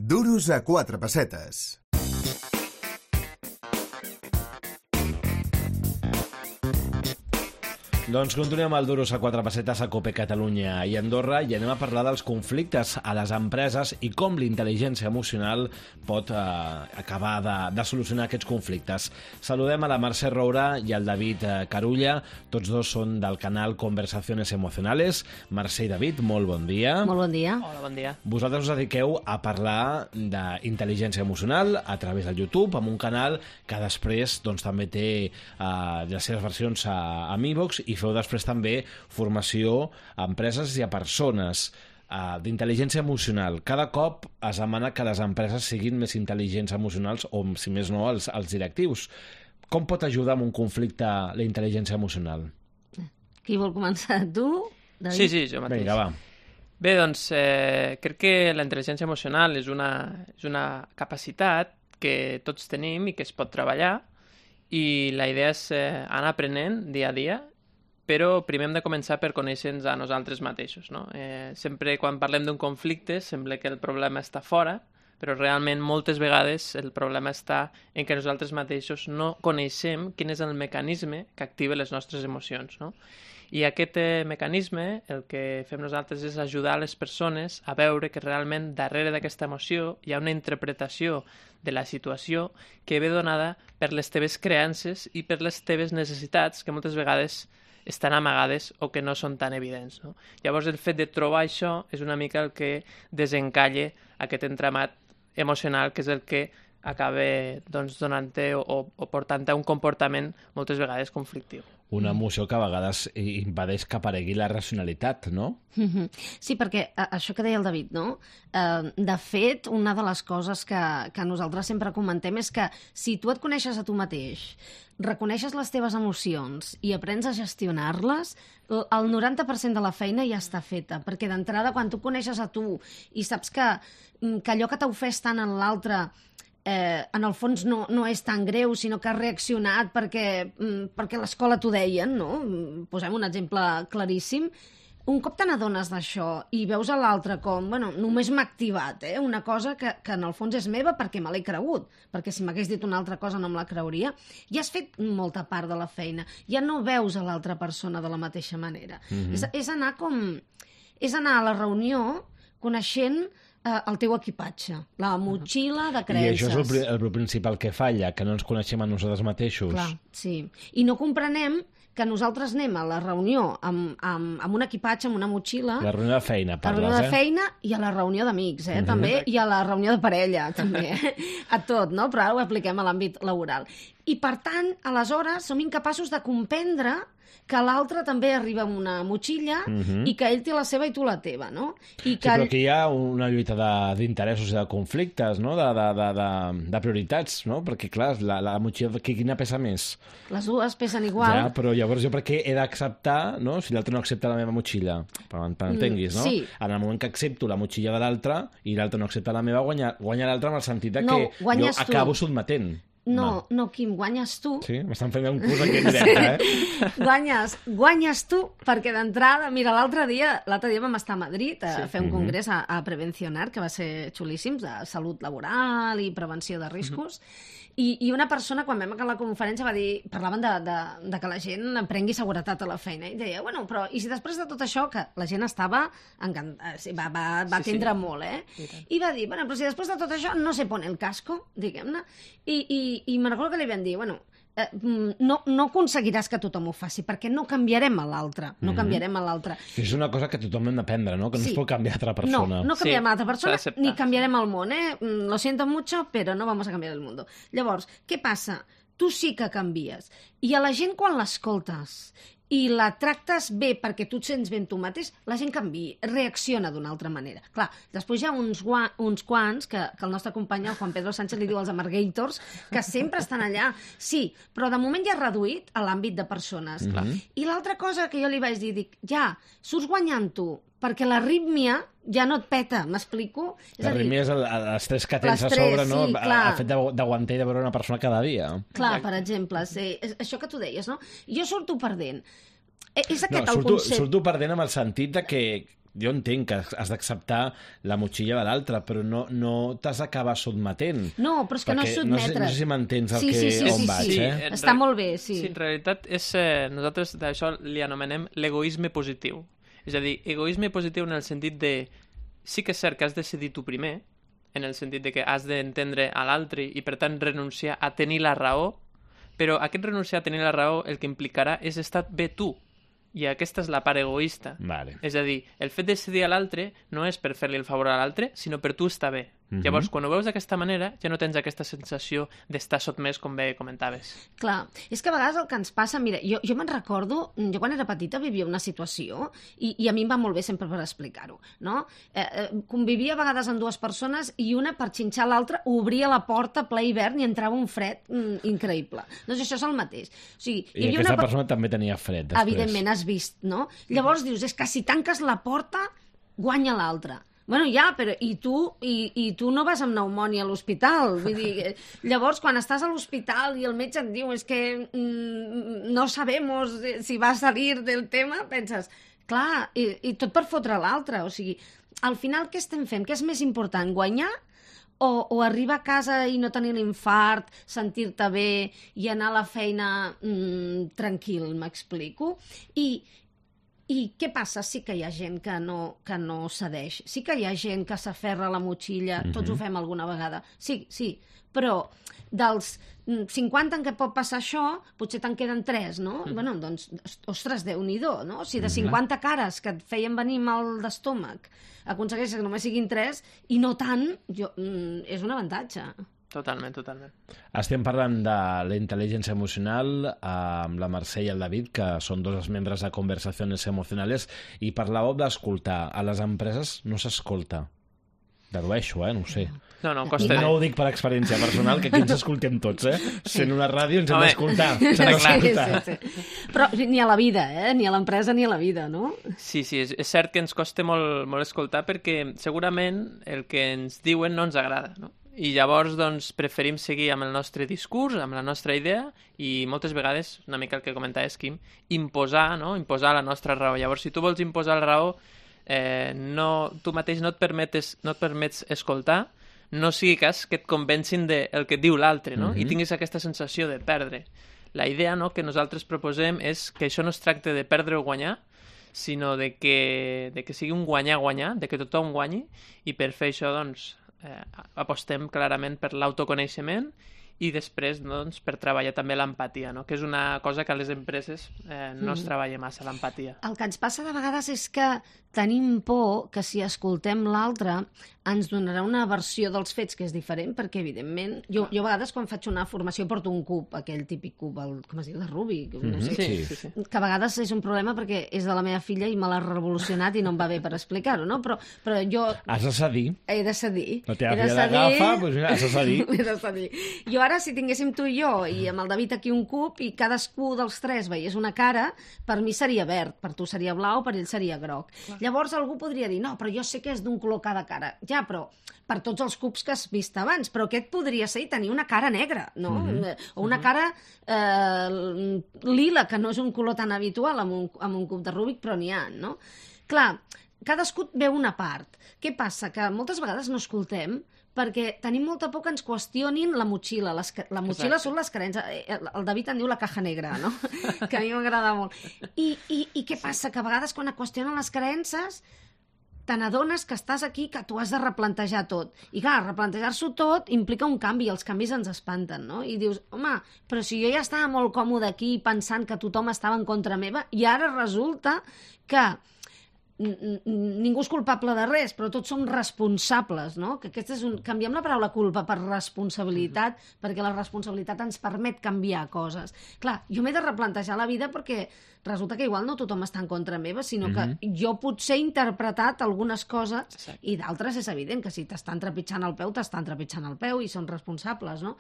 Duros a 4 pessetes. Doncs continuem el Duros a 4 pessetes a Cope Catalunya i Andorra i anem a parlar dels conflictes a les empreses i com l'intel·ligència emocional pot acabar de solucionar aquests conflictes. Saludem a la Mercè Roura i al David Carulla, tots dos són del canal Conversaciones Emocionales. Mercè i David, molt bon dia. Molt bon dia. Hola, bon dia. Vosaltres us dediqueu a parlar d'intel·ligència emocional a través del YouTube, amb un canal que després doncs, també té les seves versions a iVoox i feu després també formació a empreses i a persones d'intel·ligència emocional. Cada cop es demana que les empreses siguin més intel·ligents emocionals o, si més no, els directius. Com pot ajudar en un conflicte la intel·ligència emocional? Qui vol començar? Tu, David? Sí, jo mateix. Vinga, va. Bé, doncs, crec que la intel·ligència emocional és una capacitat que tots tenim i que es pot treballar, i la idea és anar aprenent dia a dia, però primer hem de començar per conèixer-nos a nosaltres mateixos, no? Sempre quan parlem d'un conflicte sembla que el problema està fora, però realment moltes vegades el problema està en que nosaltres mateixos no coneixem quin és el mecanisme que activa les nostres emocions, no? I aquest mecanisme, el que fem nosaltres és ajudar les persones a veure que realment darrere d'aquesta emoció hi ha una interpretació de la situació que ve donada per les teves creences i per les teves necessitats, que moltes vegades estan amagades o que no són tan evidents, no? Llavors, el fet de trobar això és una mica el que desencalla aquest entramat emocional, que és el que acaba doncs, donant-te o portant-te a un comportament moltes vegades conflictiu. Una emoció que a vegades impedeix que aparegui la racionalitat, no? Sí, perquè això que deia el David, no? De fet, una de les coses que nosaltres sempre comentem és que si tu et coneixes a tu mateix, reconeixes les teves emocions i aprens a gestionar-les, el 90% de la feina ja està feta, perquè d'entrada, quan tu coneixes a tu i saps que allò que t'ha ofès tant en l'altre en el fons no és tan greu, sinó que has reaccionat perquè a l'escola t'ho deien, no? Posem un exemple claríssim. Un cop te n'adones d'això i veus a l'altre com, bueno, només m'ha activat una cosa que en el fons és meva perquè me l'he cregut, perquè si m'hagués dit una altra cosa no me la creuria, ja has fet molta part de la feina, ja no veus a l'altra persona de la mateixa manera. És anar a la reunió coneixent el teu equipatge, la motxilla de creences. I això és el principal que falla, que no ens coneixem a nosaltres mateixos. Clar, sí. I no comprenem que nosaltres anem a la reunió amb un equipatge, amb una motxilla... La reunió de feina, parles, La reunió de feina i a la reunió d'amics, també, i a la reunió de parella, també. A tot, no? Però ara ho apliquem a l'àmbit laboral. I, per tant, aleshores, som incapaços de comprendre que l'altre també arriba amb una motxilla i que ell té la seva i tu la teva, no? I que sí, però aquí hi ha una lluita d'interessos i de conflictes, no? De prioritats, no? Perquè, clar, la motxilla, quina pesa més? Les dues pesen igual. Ja, però llavors jo per què he d'acceptar, no? Si l'altre no accepta la meva motxilla, per entenguis, no? Sí. En el moment que accepto la motxilla de l'altre i l'altre no accepta la meva, guanya l'altre amb el sentit que jo acabo sotmetent. No, Quim, guanyes tu. Sí? M'estan fent un curs aquí en directe, Guanyes tu, perquè d'entrada... Mira, l'altre dia vam estar a Madrid a fer un congrés a Prevencionar, que va ser xulíssim, de salut laboral i prevenció de riscos, i una persona, quan vam acabar la conferència, va dir... Parlaven de que la gent prengui seguretat a la feina, i deia, bueno, però i si després de tot això, que la gent estava encantada, va atendre molt, I va dir, bueno, però si després de tot això no se pone el casco, diguem-ne, i me'n recordo que li vam dir, bueno, no aconseguiràs que tothom ho faci, perquè no canviarem a l'altre, És una cosa que tothom hem d'aprendre, no? Que no es pot canviar a altra persona. No canviarem a l'altra persona, ni canviarem el món, Lo siento mucho, pero no vamos a cambiar el mundo. Llavors, què passa? Tu sí que canvies. I a la gent, quan l'escoltes i la tractes bé perquè tu et sents bé amb tu mateix, la gent canvia, reacciona d'una altra manera. Clar, després hi ha uns quants que el nostre company, el Juan Pedro Sánchez, li diu els amargators, que sempre estan allà. Sí, però de moment ja ha reduït a l'àmbit de persones. I l'altra cosa que jo li vaig dir, dic, surts guanyant tu, perquè l'arrítmia ja no et peta, m'explico? L'arrítmia és l'estrès que tens a sobre, no? Sí, el fet d'aguantar i de veure una persona cada dia. Clar, per exemple, això que tu deies, no? Jo surto perdent. És aquest el concepte. Surto perdent amb el sentit de que jo entenc que has d'acceptar la motxilla de l'altre, però no t'has d'acabar sotmetent. No, però és que no és sotmetre's. No sé si m'entens on vaig, sí. eh? Està molt bé, sí. Sí, en realitat nosaltres d'això li anomenem l'egoisme positiu. És a dir, egoisme positiu en el sentit de sí que és cert que has de decidir tu primer, en el sentit de que has d'entendre a l'altre i, per tant, renunciar a tenir la raó, però aquest renunciar a tenir la raó el que implicarà és estar bé tu. I aquesta és la part egoista. Vale. És a dir, el fet de decidir a l'altre no és per fer-li el favor a l'altre, sinó per tu estar bé. Llavors, quan ho veus d'aquesta manera, ja no tens aquesta sensació d'estar sotmès, com bé comentaves. Clar, és que a vegades el que ens passa... Mira, jo me'n recordo, jo quan era petita vivia una situació i a mi em va molt bé sempre per explicar-ho, no? Convivia a vegades amb dues persones i una, per xinxar l'altra, obria la porta a ple hivern i entrava un fred increïble. Doncs això és el mateix. O sigui, I aquesta persona també tenia fred, després. Evidentment, has vist, no? Llavors dius, és que si tanques la porta, guanya l'altre. Bueno, ja, però i tu no vas amb pneumònia a l'hospital. Vull dir, llavors, quan estàs a l'hospital i el metge et diu és que no sabemos si va a salir del tema, penses, clar, i tot per fotre l'altre. O sigui, al final què estem fent? Què és més important, guanyar o arribar a casa i no tenir l'infart, sentir-te bé i anar a la feina tranquil, m'explico? I què passa? Sí que hi ha gent que no cedeix. Sí que hi ha gent que s'aferra a la motxilla. Tots ho fem alguna vegada. Sí. Però dels 50 en què pot passar això, potser te'n queden 3, no? Bueno, doncs, ostres, Déu-n'hi-do, no? Si de 50 cares que et feien venir mal d'estómac aconsegueixes que només siguin 3 i no tant, és un avantatge. Totalment. Estem parlant de la intel·ligència emocional amb la Mercè i el David, que són dos dels membres de Conversaciones Emocionales, i parlàveu d'escoltar. A les empreses no s'escolta. Dedueixo, no ho sé. No, costa. No ho dic per experiència personal, que aquí ens escoltem tots, Sent una ràdio ens hem d'escoltar. Sí. Però ni a la vida, ni a l'empresa ni a la vida, no? Sí, és cert que ens costa molt escoltar perquè segurament el que ens diuen no ens agrada, no? I llavors, doncs, preferim seguir amb el nostre discurs, amb la nostra idea, i moltes vegades, una mica el que comentaves, Quim, imposar la nostra raó. Llavors, si tu vols imposar la raó, tu mateix no et permets escoltar, no sigui cas que et convencin del que et diu l'altre, no? I tinguis aquesta sensació de perdre. La idea que nosaltres proposem és que això no es tracta de perdre o guanyar, sinó de que sigui un guanyar-guanyar, de que tothom guanyi, i per fer això, doncs, apostem clarament per l'autoconeixement i després, doncs, per treballar també l'empatia, no? Que és una cosa que a les empreses no es treballa massa, l'empatia. El que ens passa de vegades és que tenim por que si escoltem l'altre ens donarà una versió dels fets que és diferent, perquè, evidentment, jo a vegades quan faig una formació porto un cub, aquell típic cub, com es diu, de Rubik, no sé, sí. que a vegades és un problema perquè és de la meva filla i me l'ha revolucionat i no em va bé per explicar-ho, no? Però jo... Has de cedir. He de cedir. La teva filla l'agafa, doncs has de cedir. He de cedir. Jo ara, si tinguéssim tu i jo i amb el David aquí un cub i cadascú dels 3 veiés una cara, per mi seria verd, per tu seria blau, per ell seria groc. Clar. Llavors algú podria dir, no, però jo sé que és d'un color cada cara. Ja, però per tots els cubs que has vist abans, però aquest podria ser i tenir una cara negra, no? O una cara lila, que no és un color tan habitual amb un cub de Rubik, però n'hi ha, no? Clar, cadascú veu una part. Què passa? Que moltes vegades no escoltem perquè tenim molta por que ens qüestionin la motxilla. La motxilla són les creences. El David en diu la caja negra, no? Que a mi m'agrada molt. I què passa? Que a vegades quan et qüestionen les creences te n'adones que estàs aquí, que tu has de replantejar tot. I clar, replantejar-s'ho tot implica un canvi, i els canvis ens espanten, no? I dius, home, però si jo ja estava molt còmode aquí pensant que tothom estava en contra meva, i ara resulta que ningú és culpable de res, però tots som responsables, no? Que aquest és canviem la paraula culpa per responsabilitat, perquè la responsabilitat ens permet canviar coses. Clar, jo m'he de replantejar la vida perquè resulta que igual no tothom està en contra meva, sinó que jo potser he interpretat algunes coses i d'altres és evident que si t'estan trepitjant el peu, t'estan trepitjant el peu i són responsables, no?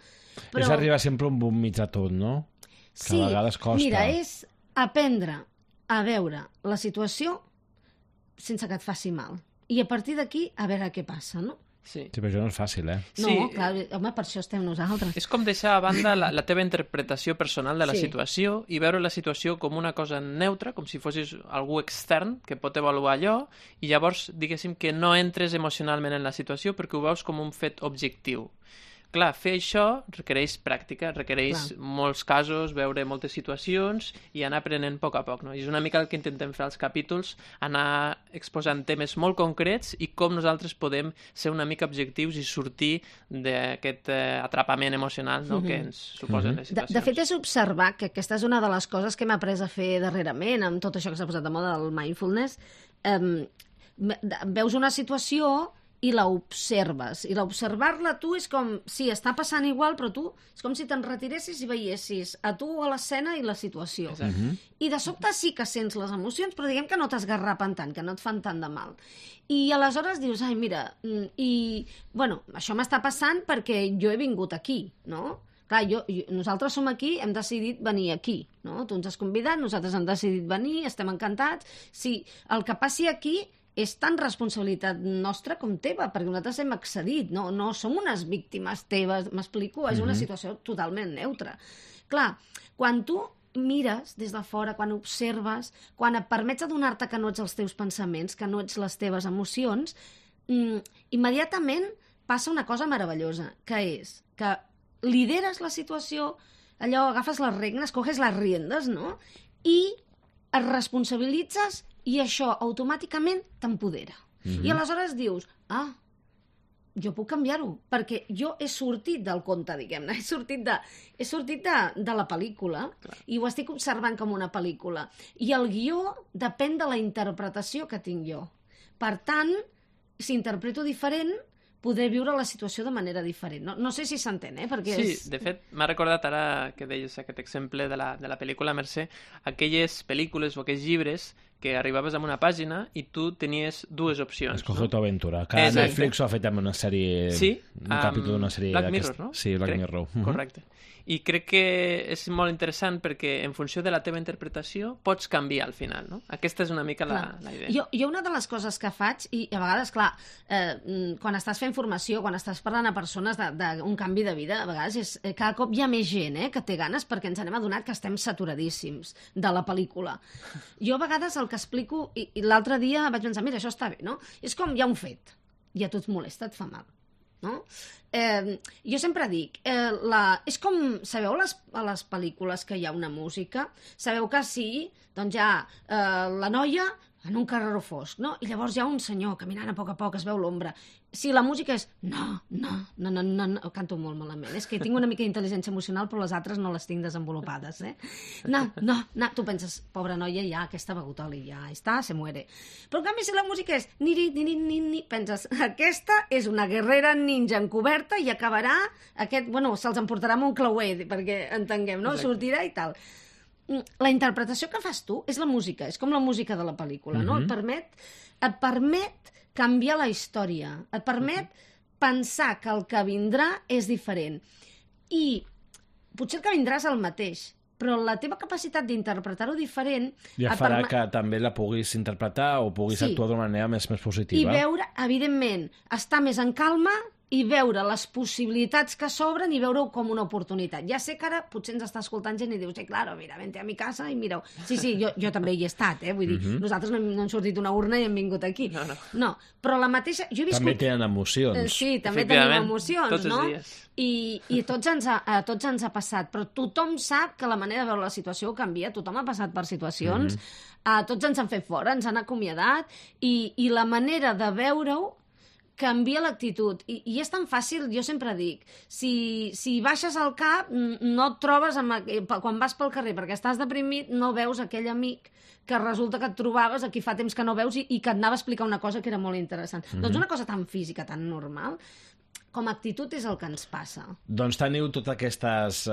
Però... És arribar sempre a un bon mig de tot, no? Que sí, a vegades costa. Mira, és aprendre a veure la situació sense que et faci mal. I a partir d'aquí, a veure què passa, no? Sí. Sí, però això no és fàcil, eh? No, Sí, clar, home, per això estem nosaltres. és com deixar a banda la teva interpretació personal de la Sí. situació i veure la situació com una cosa neutra, com si fossis algú extern que pot avaluar allò, i llavors, diguéssim, que no entres emocionalment en la situació perquè ho veus com un fet objectiu. Clar, fer això requereix pràctica, requereix molts casos, veure moltes situacions i anar aprenent a poc a poc, no? I és una mica el que intentem fer als capítols, anar exposant temes molt concrets i com nosaltres podem ser una mica objectius i sortir d'aquest atrapament emocional, no?, que ens suposen les situacions. De fet, és observar que aquesta és una de les coses que hem après a fer darrerament, amb tot això que s'ha posat de moda del mindfulness. Veus una situació i l'observes. I l'observar-la tu és com, sí, està passant igual, però tu és com si te'n retiressis i veiessis a tu a l'escena i la situació. I de sobte sí que sents les emocions, però diguem que no t'esgarrapen tant, que no et fan tant de mal. I aleshores dius, ai, mira, bueno, això m'està passant perquè jo he vingut aquí, no? Clar, nosaltres som aquí, hem decidit venir aquí, no? Tu ens has convidat, nosaltres hem decidit venir, estem encantats. Sí, el que passi aquí és tan responsabilitat nostra com teva, perquè nosaltres hem accedit, no som unes víctimes teves, m'explico? És una situació totalment neutra. Clar, quan tu mires des de fora, quan observes, quan et permets adonar-te que no ets els teus pensaments, que no ets les teves emocions, immediatament passa una cosa meravellosa, que és que lideres la situació, allò, agafes les regnes, coges les riendes, no?, i et responsabilitzes i això automàticament t'empodera. I aleshores dius, jo puc canviar-ho, perquè jo he sortit del conte, diguem-ne, he sortit de la pel·lícula i ho estic observant com una pel·lícula. I el guió depèn de la interpretació que tinc jo. Per tant, si interpreto diferent, podré viure la situació de manera diferent. No sé si s'entén, perquè sí, de fet, m'ha recordat ara que deies aquest exemple de la pel·lícula Mercè, aquelles pel·lícules o aquells llibres que arribaves a una pàgina i tu tenies dues opcions. Escoge tu aventura. Cada Netflix ho ha fet amb una sèrie... Sí, un capítol d'una sèrie... Black Mirror, no? Sí, Black Mirror. Correcte. I crec que és molt interessant perquè en funció de la teva interpretació pots canviar al final, no? Aquesta és una mica la idea. Jo una de les coses que faig, i a vegades, clar, quan estàs fent formació, quan estàs parlant a persones d'un canvi de vida, a vegades cada cop hi ha més gent que té ganes perquè ens n'hem adonat que estem saturadíssims de la pel·lícula. Jo a vegades el que explico, i l'altre dia vaig pensar, mira, això està bé, no? És com hi ha un fet, i a tu et molesta, et fa mal, no? Jo sempre dic, és com, sabeu a les pel·lícules que hi ha una música? Sabeu que sí, doncs hi ha la noia en un carreró fosc, no? I llavors hi ha un senyor caminant a poc es veu l'ombra. Si la música és no, canto molt malament. És que tinc una mica d'intel·ligència emocional, però les altres no les tinc desenvolupades, No, tu penses, pobra noia, ja, aquesta ha begut oli, ja està, se muere. Però en canvi, si la música és ni, penses, aquesta és una guerrera ninja encoberta i acabarà se'ls emportarà amb un clauer, perquè entenguem, no? Exacte. Sortirà i tal. La interpretació que fas tu és la música, és com la música de la pel·lícula, no? Et permet canviar la història, et permet pensar que el que vindrà és diferent. I potser el que vindrà és el mateix, però la teva capacitat d'interpretar-ho diferent... Ja farà que també la puguis interpretar o puguis actuar d'una manera més positiva. I veure, evidentment, estar més en calma i veure les possibilitats que s'obren i veure-ho com una oportunitat. Ja sé que ara potser ens està escoltant gent i dius, claro, mira, vente a mi casa i mireu. Sí, jo també hi he estat, vull dir, nosaltres no hem sortit d'una urna i hem vingut aquí. No, però la mateixa... També tenen emocions. Sí, també tenim emocions, tots no? Els dies. I a tots ens ha passat, però tothom sap que la manera de veure la situació canvia, tothom ha passat per situacions, tots ens han fet fora, ens han acomiadat, i la manera de veure-ho canvia l'actitud. I és tan fàcil, jo sempre dic, si baixes el cap, no et trobes quan vas pel carrer, perquè estàs deprimit, no veus aquell amic que resulta que et trobaves, a qui fa temps que no veus, i que et anava a explicar una cosa que era molt interessant. Doncs una cosa tan física, tan normal, com a actitud és el que ens passa. Doncs teniu totes aquestes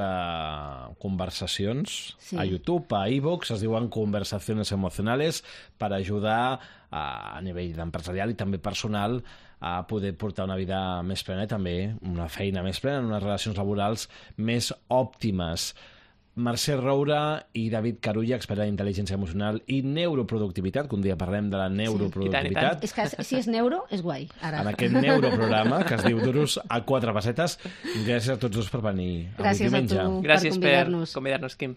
conversacions a YouTube, a iVoox, es diuen Conversaciones Emocionales, per ajudar a nivell empresarial i també personal a poder portar una vida més plena i també una feina més plena, unes relacions laborals més òptimes. Mercè Roura i David Carulla, expert en intel·ligència emocional i neuroproductivitat, que un dia parlem de la neuroproductivitat. És que si és neuro, és guai. Ara. En aquest neuroprograma que es diu Duros a 4 pessetes. Gràcies a tots dos per venir avui Gràcies diumenge. a tu Gràcies per convidar-nos. per convidar-nos, Quim.